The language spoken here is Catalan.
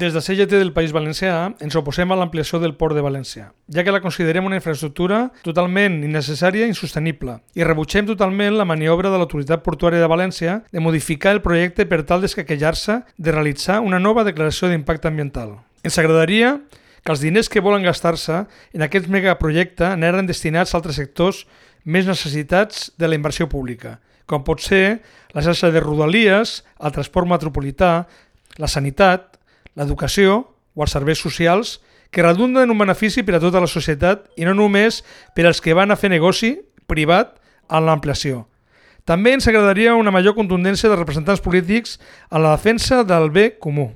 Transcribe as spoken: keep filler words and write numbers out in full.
Des de C G T del País Valencià ens oposem a l'ampliació del port de València, ja que la considerem una infraestructura totalment innecessària i insostenible, i rebutgem totalment la maniobra de l'Autoritat Portuària de València de modificar el projecte per tal d'escaquejar-se de realitzar una nova declaració d'impacte ambiental. Ens agradaria que els diners que volen gastar-se en aquest megaprojecte anaren destinats a altres sectors més necessitats de la inversió pública, com pot ser la xarxa de rodalies, el transport metropolità, la sanitat, l'educació o els serveis socials, que redunden en un benefici per a tota la societat i no només per als que van a fer negoci privat en l'ampliació. També ens agradaria una major contundència dels representants polítics en la defensa del bé comú.